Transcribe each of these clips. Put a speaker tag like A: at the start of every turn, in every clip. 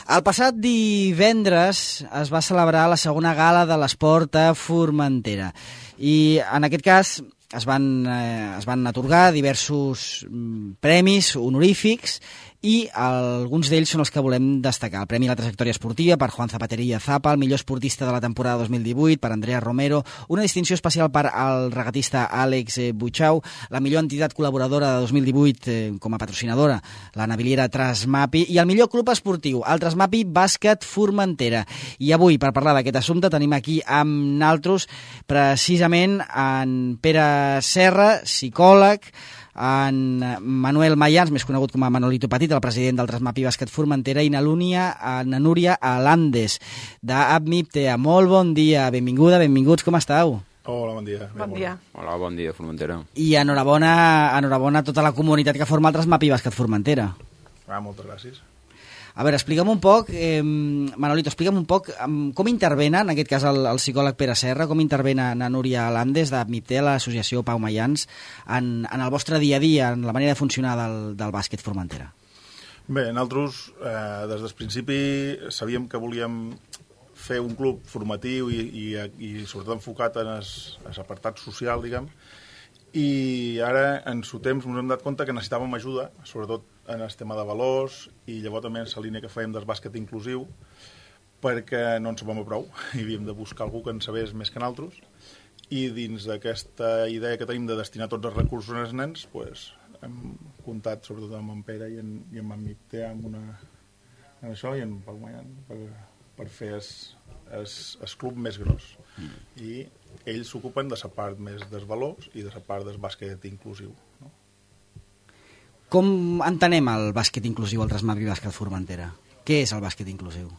A: El passat divendres es va celebrar la segona gala de l'esport a Formentera i en aquest cas es van atorgar diversos premis honorífics i alguns d'ells són els que volem destacar. El Premi a la Trajectòria Esportiva per Juan Zapateria Zapa, el millor esportista de la temporada 2018 per Andrea Romero, una distinció especial per al regatista Àlex Butxau, la millor entitat col·laboradora de 2018 com a patrocinadora, la naviliera Trasmapi, i el millor club esportiu, el Trasmapi Bàsquet Formentera. I avui, per parlar d'aquest assumpte, tenim aquí amb naltros precisament en Pere Serra, psicòleg, en Manuel Mayans, més conegut com a Manolito Petit, el president del Trasmapi Bàsquet Formentera, i na Núria Alandes, d'ABMIPTEA. Molt bon dia, benvinguda, benvinguts, com esteu?
B: Hola, bon dia.
C: Bon dia.
D: Hola, bon dia, Formentera.
A: I enhorabona a tota la comunitat que forma el Trasmapi Bàsquet Formentera.
B: Moltes gràcies.
A: A veure, explica'm un poc, Manolito, explica'm un poc com intervena, en aquest cas el psicòleg Pere Serra, com intervena na Núria Alandes d'ABMIPTEA, l'associació Pau Mayans, en el vostre dia a dia, en la manera de funcionar del bàsquet Formentera.
B: Bé, nosaltres des del principi sabíem que volíem fer un club formatiu i sobretot enfocat en l'apartat social, diguem, i ara en su temps ens hem dat compte que necessitàvem ajuda, sobretot en el tema de valors, i llavors també en la línia que fèiem del bàsquet inclusiu, perquè no en sabem prou, i havíem de buscar algú que en sabés més que nosaltres, i dins d'aquesta idea que tenim de destinar tots els recursos als nens, pues, hem comptat sobretot amb en Pere i amb en MIPTEA en això, i en Pau Mayan, per fer el club més gros. I ells s'ocupen de la part més dels valors i de la part del bàsquet inclusiu, no?
A: Com entenem el bàsquet inclusiu al Trasmapi Bàsquet Formentera? Què és el bàsquet inclusiu?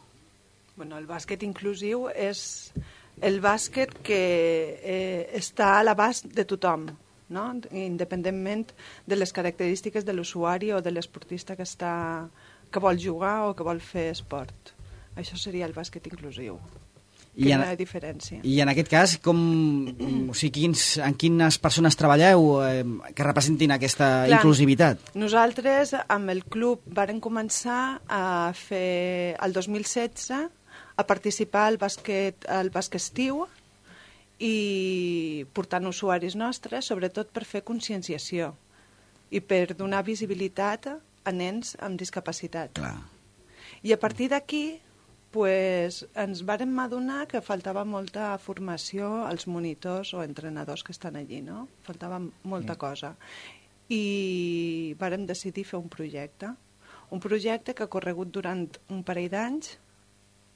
C: Bueno, el bàsquet inclusiu és el bàsquet que està a l'abast de tothom, no? Independentment de les característiques de l'usuari o de l'esportista que vol jugar o que vol fer esport. Això seria el bàsquet inclusiu. Quina diferència.
A: I en aquest cas, en quines persones treballeu que representin aquesta inclusivitat?
C: Nosaltres, amb el club, vàrem començar a fer, el 2016, a participar al bàsquet estiu i portant usuaris nostres, sobretot per fer conscienciació i per donar visibilitat a nens amb discapacitat.
A: Clar.
C: I a partir d'aquí, ens vàrem adonar que faltava molta formació als monitors o entrenadors que estan allí, no? Faltava molta cosa. I vàrem decidir fer un projecte que ha corregut durant un parell d'anys,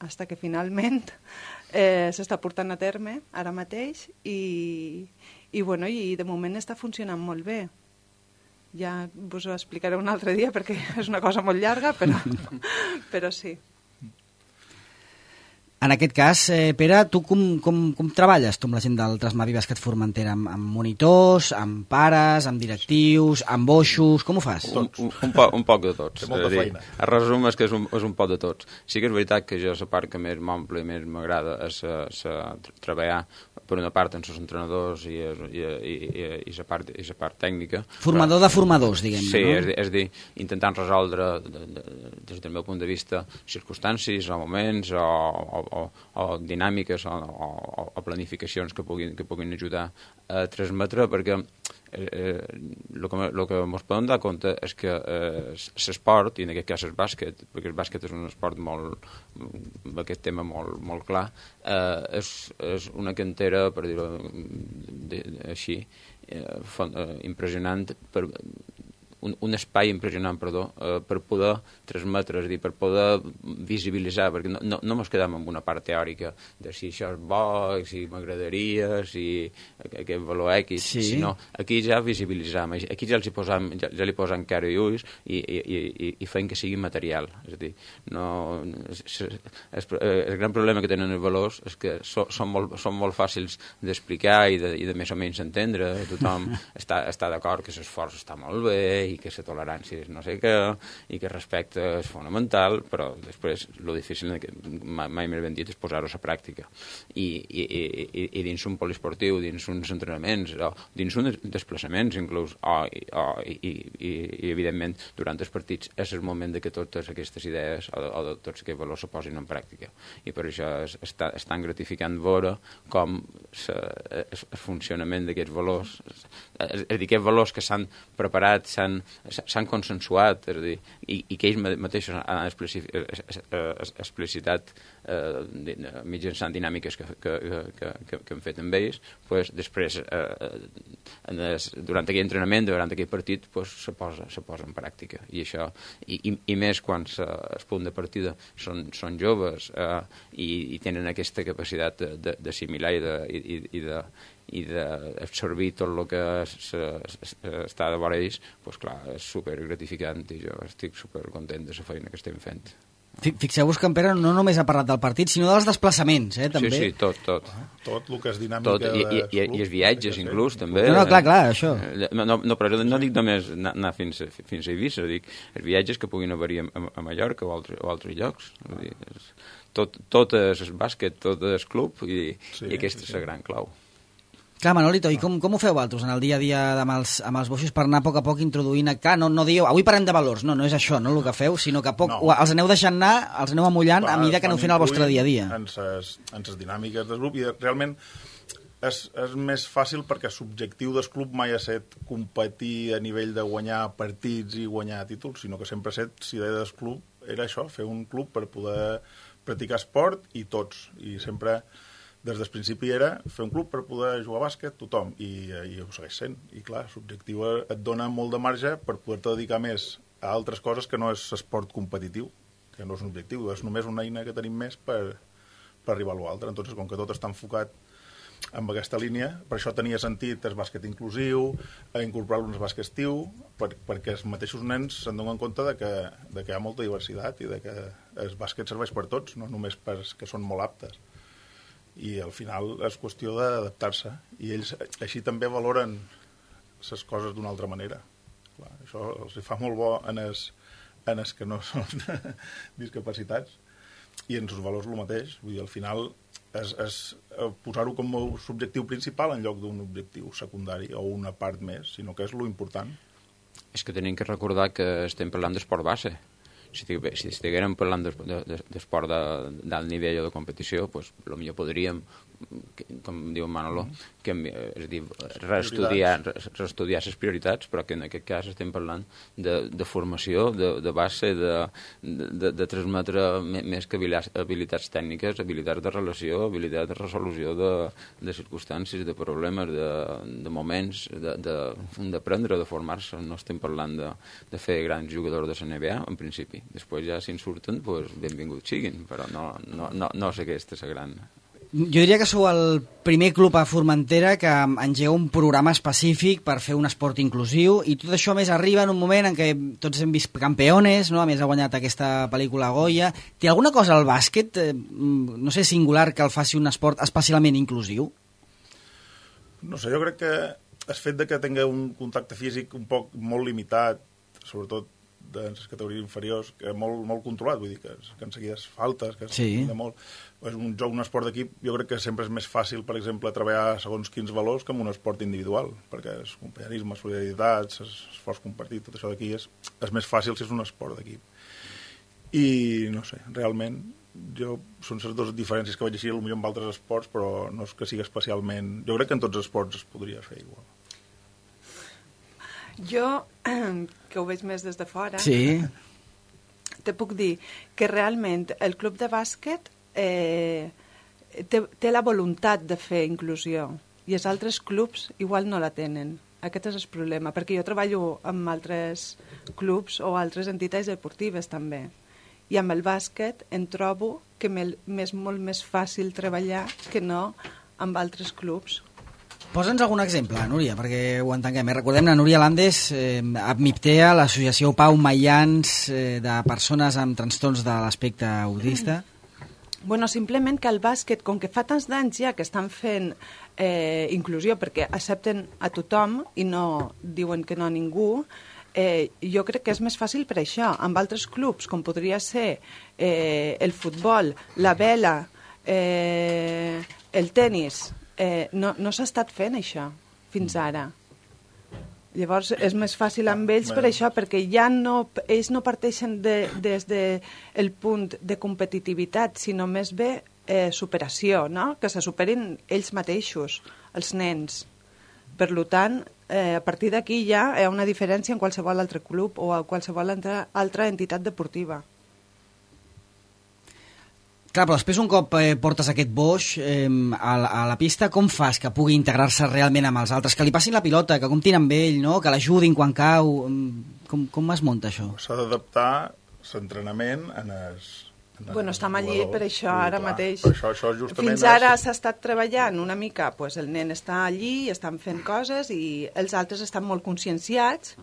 C: fins que finalment s'està portant a terme ara mateix i de moment està funcionant molt bé. Ja vos ho explicaré un altre dia perquè és una cosa molt llarga, però sí.
A: En aquest cas, Pere, tu com treballes tu amb la gent del Trasmapi Bàsquet Formentera? Amb monitors, amb pares, amb directius, amb boixos, com ho fas?
D: Un poc de tots.
B: Té molta feina.
D: El resum és que és un poc de tots. Sí que és veritat que jo la part que més m'omple i més m'agrada és treballar per una part amb els entrenadors i la part tècnica.
A: Formador de formadors, diguem-ne,
D: sí,
A: no?
D: És a dir, intentant resoldre des del meu punt de vista circumstàncies o moments o dinàmiques o planificacions que puguin ajudar a transmetre, perquè el que ens podem dar compte és que l'esport, i en aquest cas el bàsquet, perquè el bàsquet és un esport amb aquest tema molt clar, és una cantera, per dir-ho així, impressionant, un espai impressionant, per poder transmetre, és a dir, per poder visibilitzar, perquè no ens quedem en una part teòrica de si això és bo, si m'agradaria, si aquest valor X, sinó aquí ja visibilitzam, aquí ja li posam cara i ulls i fem que sigui material. És a dir, el gran problema que tenen els valors és que són molt fàcils d'explicar i de més o menys entendre, tothom està d'acord que l'esforç està molt bé i que la tolerància és no sé què, i que el respecte és fonamental, però després el difícil, mai més ben dit, és posar-ho a la pràctica. I dins un poliesportiu, dins uns entrenaments, o dins uns desplaçaments, inclús, i evidentment, durant els partits, és el moment de que totes aquestes idees o de tots aquests valors se posin en pràctica. I per això és tan gratificant veure com el funcionament d'aquests valors, és a dir, aquests valors que s'han preparat, s'han consensuat, és a dir, i que ells mateixos han explicitat mitjançant dinàmiques que han fet amb ells, després, durant aquell entrenament, durant aquell partit, se posa en pràctica. I això, i més quan el punt de partida són joves i tenen aquesta capacitat d'assimilar i d'absorbir tot el que està de vora ells, doncs clar, és supergratificant i jo estic supercontent de la feina que estem fent.
A: Fixeu-vos que en Pere no només ha parlat del partit, sinó dels desplaçaments, també.
D: Sí, tot.
B: Tot el que és dinàmica
D: I els viatges, inclús, també.
A: No, clar, això.
D: No, però no dic només anar fins a Eivissa, dic els viatges que puguin haver-hi a Mallorca o altres llocs. Tot és el bàsquet, tot és club, i aquesta és la gran clau.
A: Clar, Manolito, i com ho feu vosaltres en el dia a dia amb els boixos per anar a poc introduint? Clar, no dieu, avui parlem de valors, no és això, no el que feu, sinó que els aneu deixant anar, els aneu amullant a mesura que aneu fent el vostre dia a dia.
B: En les dinàmiques del grup, i realment és més fàcil perquè l'objectiu del club mai ha estat competir a nivell de guanyar partits i guanyar títols, sinó que sempre ha estat, si idea del club era això, fer un club per poder practicar esport i tots, i sempre des del principi era fer un club per poder jugar a bàsquet tothom, i ho segueix sent. I clar, l'objectiu et dona molt de marge per poder-te dedicar més a altres coses que no és esport competitiu, que no és un objectiu, és només una eina que tenim més per arribar a l'altre. Entonces, com que tot està enfocat en aquesta línia, per això tenia sentit el bàsquet inclusiu, incorporar-lo en el bàsquet estiu, perquè els mateixos nens se'n donen compte de que hi ha molta diversitat i de que el bàsquet serveix per tots, no només per que són molt aptes. I al final és qüestió d'adaptar-se, i ells així també valoren les coses d'una altra manera. Clar, això els fa molt bo en els que no són discapacitats, i en els valors el mateix. Vull dir, al final és posar-ho com a objectiu principal en lloc d'un objectiu secundari o una part més, sinó que és lo important.
D: És que tenim que recordar que estem parlant d'esport base. Si estiguérem parlant d'esport d'alt nivell o de competició, doncs potser podríem, com diu Manolo, és a dir, reestudiar les prioritats, però que en aquest cas estem parlant de formació, de base, de transmetre més que habilitats tècniques, habilitats de relació, habilitats de resolució de circumstàncies, de problemes, de moments, d'aprendre, de formar-se. No estem parlant de fer grans jugadors de la NBA, en principi. Després ja, si en surten, benvinguts siguin, però no sé aquesta és la gran...
A: Jo diria que sou el primer club a Formentera que engega un programa específic per fer un esport inclusiu, i tot això més arriba en un moment en què tots hem vist campeones, no? A més ha guanyat aquesta pel·lícula Goya. Té alguna cosa al bàsquet, no sé, singular, que el faci un esport especialment inclusiu?
B: No sé, jo crec que el fet de que tingui un contacte físic un poc molt limitat, sobretot de les categories inferiors, que molt controlat, vull dir que en seguides faltes, que de molt... És un joc, un esport d'equip, jo crec que sempre és més fàcil, per exemple, treballar segons quins valors que en un esport individual, perquè el companyerisme, solidaritat, l'esforç compartit, tot això d'aquí és més fàcil si és un esport d'equip. I, no sé, realment, són les dues diferències que vaig així, potser amb altres esports, però no és que sigui especialment... Jo crec que en tots els esports es podria fer igual.
C: Jo, que ho veig més des de fora,
A: te
C: puc dir que realment el club de bàsquet té la voluntat de fer inclusió, i els altres clubs igual no la tenen. Aquest és el problema, perquè jo treballo amb altres clubs o altres entitats deportives també, i amb el bàsquet em trobo que m'és molt més fàcil treballar que no amb altres clubs.
A: Posa'ns algun exemple, Núria, perquè ho entenguem. Recordem la Núria Landes, APMIPTEA, l'associació Pau Maians, de persones amb trastorns de l'aspecte autista.
C: Bueno, simplement que el bàsquet, com que fa tants d'anys ja que estan fent inclusió, perquè accepten a tothom i no diuen que no a ningú, jo crec que és més fàcil per això. Amb altres clubs, com podria ser el futbol, la vela, el tennis, no s'ha estat fent això fins ara. Llavors és més fàcil amb ells per això, perquè ells no parteixen des del punt de competitivitat, sinó més bé superació, no? Que se superin ells mateixos, els nens. Per tant, a partir d'aquí ja hi ha una diferència en qualsevol altre club o a qualsevol altra entitat deportiva.
A: Clar, però després un cop portes aquest boix a la pista, com fas que pugui integrar-se realment amb els altres? Que li passin la pilota, que comptin amb ell, no? Que l'ajudin quan cau... Com es munta això?
B: S'ha d'adaptar l'entrenament
C: Bueno, estem allí per això ara mateix.
B: Per això justament
C: Fins ara s'ha estat treballant una mica, pues el nen està allí, estan fent coses i els altres estan molt conscienciats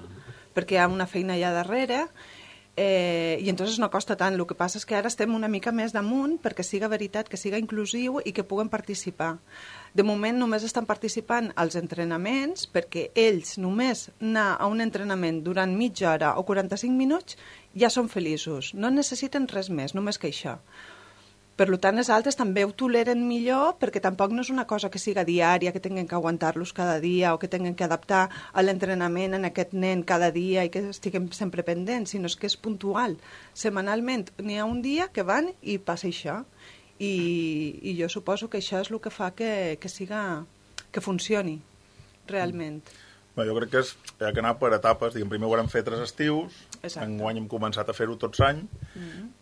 C: perquè hi ha una feina allà darrere i entonces no costa tant. El que passa és que ara estem una mica més damunt perquè siga veritat, que siga inclusiu i que puguen participar. De moment només estan participant als entrenaments perquè ells només anar a un entrenament durant mitja hora o 45 minuts ja són feliços, no necessiten res més, només que això. Per tant, els altres també ho toleren millor perquè tampoc no és una cosa que siga diària, que tinguin que aguantar-los cada dia o que tinguin que adaptar a l'entrenament en aquest nen cada dia i que estiguem sempre pendents, sinó que és puntual. Setmanalment n'hi ha un dia que van i passa això. I jo suposo que això és el que fa que funcioni realment.
B: Jo crec que ha d'anar per etapes. Primer ho vam fer 3 estius, enguany hem començat a fer-ho tots any,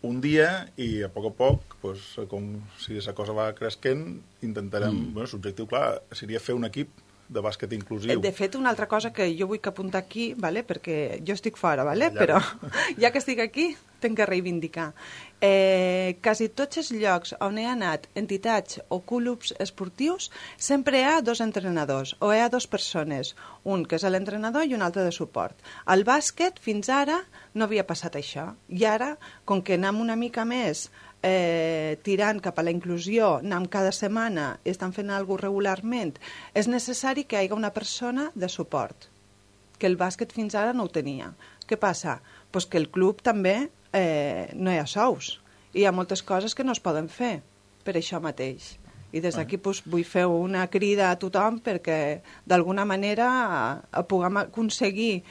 B: un dia, i a poc, com si la cosa va creixent, intentarem... L'objectiu, clar, seria fer un equip de bàsquet inclusiu.
C: De fet, una altra cosa que jo vull apuntar aquí, perquè jo estic fora, però ja que estic aquí, tinc que reivindicar. Quasi tots els llocs on he anat, entitats o clubs esportius, sempre hi ha 2 entrenadors o hi ha 2 persones, un que és l'entrenador i un altre de suport. Al bàsquet, fins ara, no havia passat això. I ara, com que anem una mica més tirant cap a la inclusió, anem cada setmana, estan fent alguna cosa regularment, és necessari que hi hagi una persona de suport, que el bàsquet fins ara no ho tenia. Què passa? Pues que el club també no hi ha sous i hi ha moltes coses que no es poden fer per això mateix. I des d'aquí vull fer una crida a tothom perquè d'alguna manera puguem aconseguir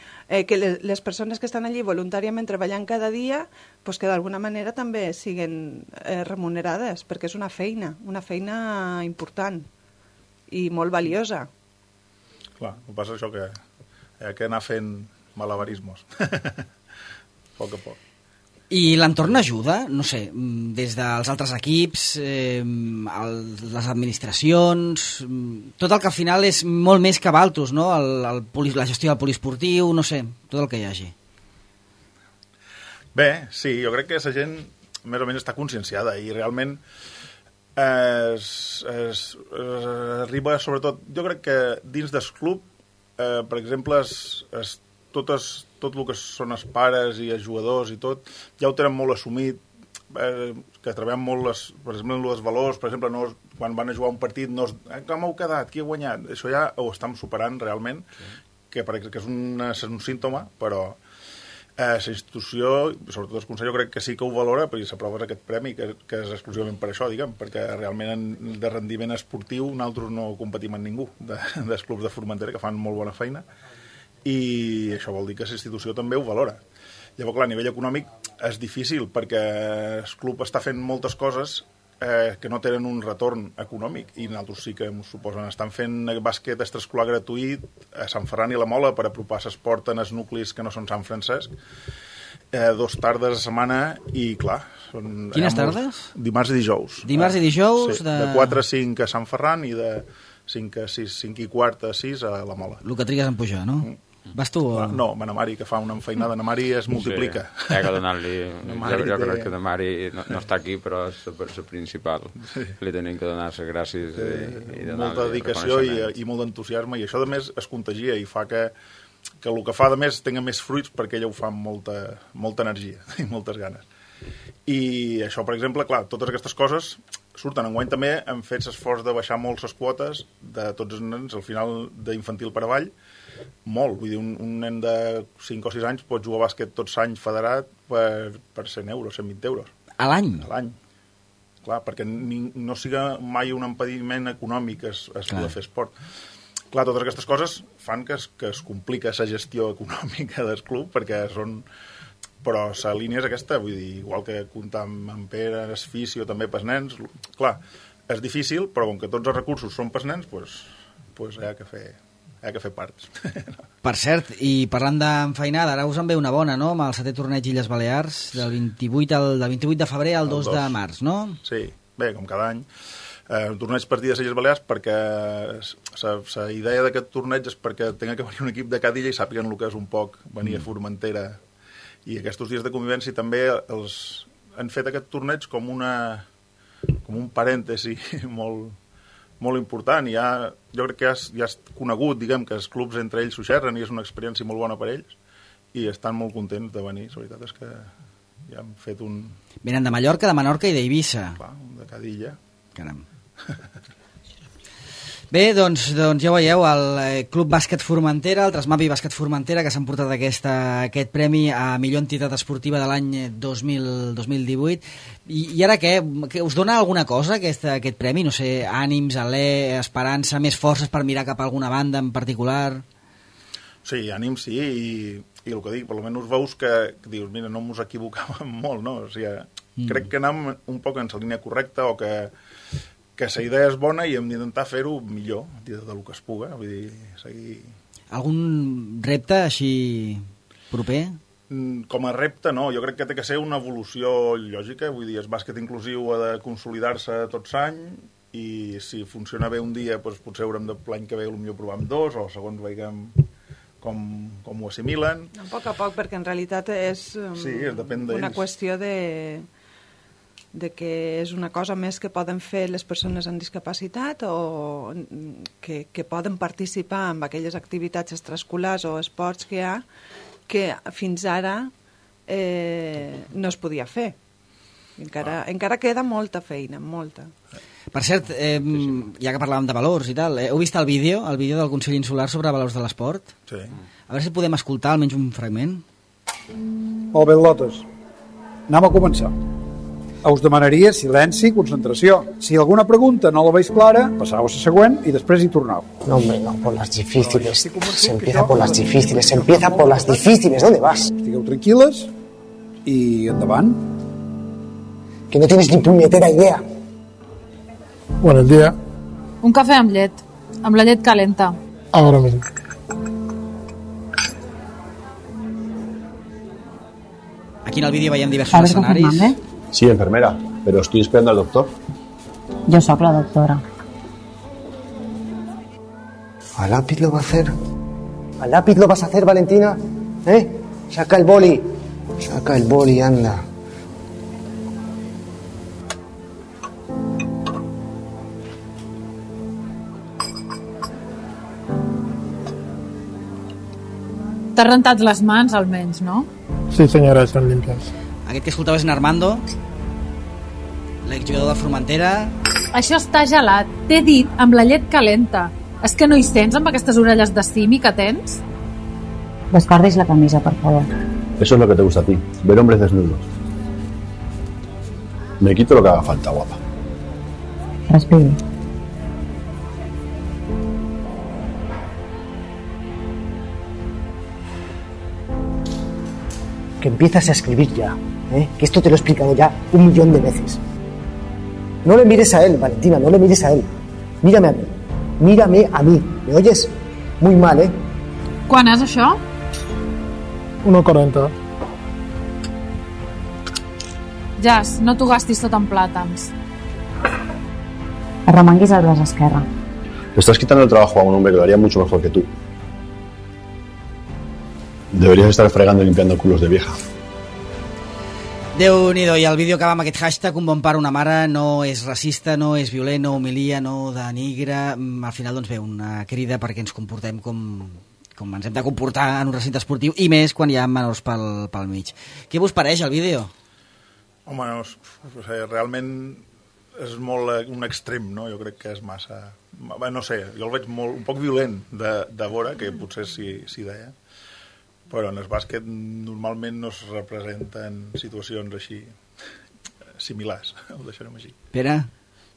C: que les persones que estan allí voluntàriament treballant cada dia que d'alguna manera també siguin remunerades, perquè és una feina important i molt valiosa.
B: Clar, el que passa és això, que hi ha que anar fent malabarismos a poc.
A: I l'entorn ajuda, no sé, des dels altres equips, les administracions, tot el que al final és molt més que Valtus, no? La gestió del poliesportiu, no sé, tot el que hi hagi.
B: Bé, sí, jo crec que la gent més o menys està conscienciada i realment arriba, sobretot, jo crec que dins del club, per exemple, tot el que són els pares i els jugadors i tot, ja ho tenen molt assumit, que treballem molt, per exemple, els valors, per exemple, quan van a jugar un partit, com heu quedat, qui ha guanyat? Això ja ho estem superant realment, que és un símptoma, però la institució, sobretot el Consell, jo crec que sí que ho valora, perquè s'aprova aquest premi, que és exclusivament per això, perquè realment de rendiment esportiu nosaltres no competim amb ningú dels clubs de Formentera, que fan molt bona feina, i això vol dir que la institució també ho valora. Llavors, clar, a nivell econòmic és difícil perquè el club està fent moltes coses que no tenen un retorn econòmic i nosaltres sí que ens suposen. Estan fent bàsquet extraescolar gratuït a Sant Ferran i la Mola per apropar l'esport en els nuclis que no són Sant Francesc, 2 tardes a setmana i, clar...
A: Quines tardes?
B: Dimarts i dijous.
A: Dimarts i dijous?
B: Sí, de 4 a 5 a Sant Ferran i de 5 a 6, 5 i quart a 6 a la Mola.
A: El que trigues en pujar, no? Vas tu?
B: No, ma Mari, que fa una enfeinada. Na Mari es multiplica.
D: Sí, hi ha que donar-li... Jo crec que na Mari no està aquí, però és la principal. Sí. Li tenim que donar les gràcies i donar-li
B: molta dedicació i molt d'entusiasme, i això, a més, es contagia i fa que el que fa, a més, tingui més fruits perquè ella ho fa amb molta energia i moltes ganes. I això, per exemple, clar, totes aquestes coses surten. Enguany també hem fet l'esforç de baixar molt les quotes de tots els nens, al final d'infantil per avall, molt. Vull dir, un nen de 5 o 6 anys pot jugar a bàsquet tots l'any federat per 100 euros, 120 euros.
A: A l'any?
B: A l'any. Clar, perquè no siga mai un impediment econòmic es poder fer esport. Clar, totes aquestes coses fan que es complica la gestió econòmica del club, perquè són... Però la línia és aquesta, vull dir, igual que comptar amb Pere, el fisio, també pels nens. Clar, és difícil, però com que tots els recursos són pels nens, doncs hi ha que fer parts.
A: Per cert, i parlant d'enfeinada, ara us en ve una bona, no?, amb el 7è torneig Illes Balears, del 28 de febrer al 2 de març, no?
B: Sí, bé, com cada any. Un torneig partit de Illes Balears perquè la idea d'aquest torneig és perquè tinga que venir un equip de cada illa i sàpiguen el que és un poc venir a Formentera. I aquests dies de convivència també han fet aquest torneig com un parèntesi molt important. Jo crec que ja és conegut, diguem, que els clubs entre ells s'ho xerren i és una experiència molt bona per ells i estan molt contents de venir. La veritat és que ja han fet un...
A: Venen de Mallorca, de Menorca i d'Eivissa.
B: Clar, de cada illa.
A: Caram. Bé, doncs ja ho veieu, el Club Bàsquet Formentera, el Trasmapi Bàsquet Formentera, que s'han portat aquest premi a millor entitat esportiva de l'any 2018. I ara què? Us dona alguna cosa aquest premi? No sé, ànims, alè, esperança, més forces per mirar cap a alguna banda en particular?
B: Sí, ànims, sí, i el que dic, per almenys veus que dius, mira, no ens equivocàvem molt, no? O sigui, crec que anem un poc en la línia correcta o que la idea és bona i hem d'intentar fer-ho millor del que es puga. Vull dir, seguir...
A: Algun repte així proper?
B: Com a repte, no. Jo crec que té que ser una evolució lògica. Vull dir, el bàsquet inclusiu ha de consolidar-se tot l'any i si funciona bé un dia, doncs potser haurem de l'any que ve potser provar amb 2 o segons veiem com ho assimilen.
C: A poc, perquè en realitat és una qüestió de que és una cosa més que poden fer les persones amb discapacitat o que poden participar en aquelles activitats extraescolars o esports que hi ha que fins ara no es podia fer. Encara queda molta feina, molta.
A: Per cert, ja que parlàvem de valors i tal, heu vist el vídeo del Consell Insular sobre valors de l'esport?
B: Sí.
A: A veure si podem escoltar almenys un fragment.
E: Molt bé, Lotes. Anem a començar. Us demanaria silenci i concentració. Si alguna pregunta no la veis clara, passau a la següent i després hi tornau.
F: No, hombre, no, por las difíciles. Se empieza por las difíciles. Se empieza por las difíciles. ¿Dónde vas?
E: Estigueu tranquil·les i endavant.
F: Que no tienes ni puñetera idea.
G: Buenos días.
H: Un café amb llet. Amb la llet calenta.
G: Ahora mismo.
A: Aquí en el vídeo veiem diversos escenaris.
I: Sí, enfermera, pero estoy esperando al doctor.
J: Yo soy la doctora.
F: ¿A lápiz lo va a hacer? ¿A lápiz lo vas a hacer, Valentina? Saca el boli. Saca el boli, anda.
H: T'has rentat les mans, almenys, no?
G: Sí, señora, son limpias.
A: Aquest que escoltaves en Armando, l'exjugador de Formentera.
H: Això està gelat, t'he dit, amb la llet calenta. És que no hi sents amb aquestes orelles de simi que tens?
J: Descordis la camisa, por favor.
I: Eso es lo que te gusta a ti, ver hombres desnudos. Me quito lo que haga falta, guapa.
J: Respiri.
F: Que empiezas a escribir ya, que esto te lo he explicado ya 1.000.000 de veces. No le mires a él, Valentina, no le mires a él. Mírame a mí. Mírame a mí. ¿Me oyes? Muy mal, ¿eh?
H: Quan és això?
G: 1,40.
H: Jas, no t'ho gastis tot en plàtans.
J: Arremanguis el braç esquerre.
I: Le estás quitando el trabajo a un hombre que lo haría mucho mejor que tú. Deberías estar fregando y limpiando culos de vieja.
A: Déu-n'hi-do, i el vídeo acaba amb aquest hashtag un bon pare, una mare, no és racista, no és violent, no humilia, no denigra. Al final, doncs bé, una crida perquè ens comportem com ens hem de comportar en un recinte esportiu, i més quan hi ha menors pel mig. Què vos pareix el vídeo?
B: Home, no, realment és molt un extrem, no? Jo crec que és massa... No sé, jo el veig un poc violent de veure, que potser s'hi deia, però en el bàsquet normalment no es representen situacions així similars, ho deixarem així.
A: Pere?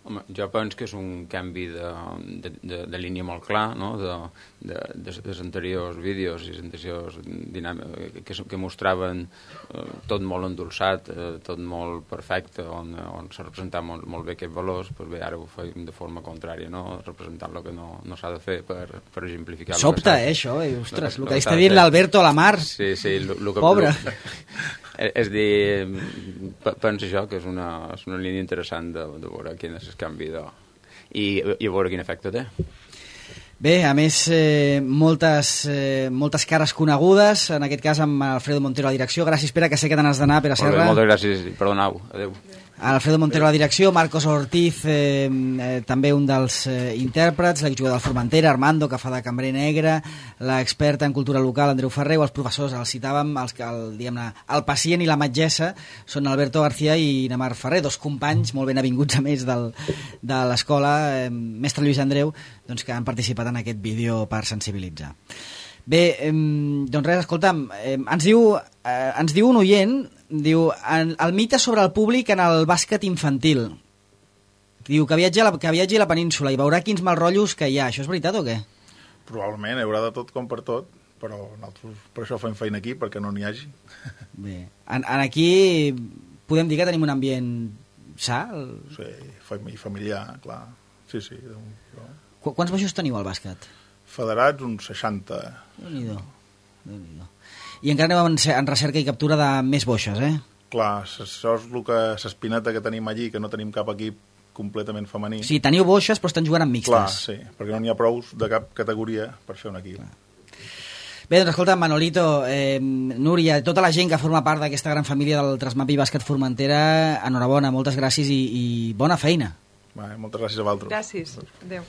D: Home, jo penso que és un canvi de línia molt clar, no? dels anteriors vídeos i anteriors dinàmiques que mostraven tot molt endolçat, tot molt perfecte, on s'ha representat molt bé aquests valors, doncs bé, ara ho fem de forma contrària, no? Representant el que no s'ha de fer per exemplificar...
A: Sobta, això, ostres, el que està dient l'Alberto a la Mar.
D: Sí,
A: pobre.
D: És dir, penso jo que és una línia interessant de veure quin és el canvi i a veure quin efecte té.
A: Bé, a més, moltes cares conegudes, en aquest cas amb Alfredo Montero a la direcció. Gràcies, Pere, que sé que te n'has d'anar, Pere Serra.
D: Moltes gràcies, perdoneu, adeu.
A: Alfredo Montero a la direcció, Marcos Ortiz, també un dels intèrprets, l'exjugador del Formentera, Armando, que fa de cambrer negre, l'experta en cultura local, Andreu Ferrer, els professors, els citàvem, diguem-ne, el pacient i la metgessa són Alberto García i Namar Ferrer, dos companys molt ben avinguts a més de l'escola, mestre Lluís Andreu, doncs, que han participat en aquest vídeo per sensibilitzar. Bé, doncs res, escolta'm, ens diu un oient, diu, el mite sobre el públic en el bàsquet infantil. Diu que viatgi a la península i veurà quins malrotllos que hi ha. Això és veritat o què?
B: Probablement, hi haurà de tot com per tot, però nosaltres per això fem feina aquí, perquè no n'hi hagi.
A: Bé, aquí podem dir que tenim un ambient sa?
B: Sí, familiar, clar. Sí.
A: Quants baixos teniu al bàsquet?
B: Federats, uns 60.
A: Déu-n'hi-do. I encara aneu en recerca i captura de més boixes, eh?
B: Clar, això és l'espineta que tenim allí, que no tenim cap equip completament femení.
A: Sí, teniu boixes, però estan jugant amb mixtes.
B: Clar, sí, perquè no n'hi ha prous de cap categoria per fer un equip. Clar.
A: Bé, doncs escolta, Manolito, Núria, tota la gent que forma part d'aquesta gran família del Trasmapi Bàsquet Formentera, enhorabona, moltes gràcies i bona feina.
B: Moltes gràcies a vosaltres.
C: Gràcies, adéu.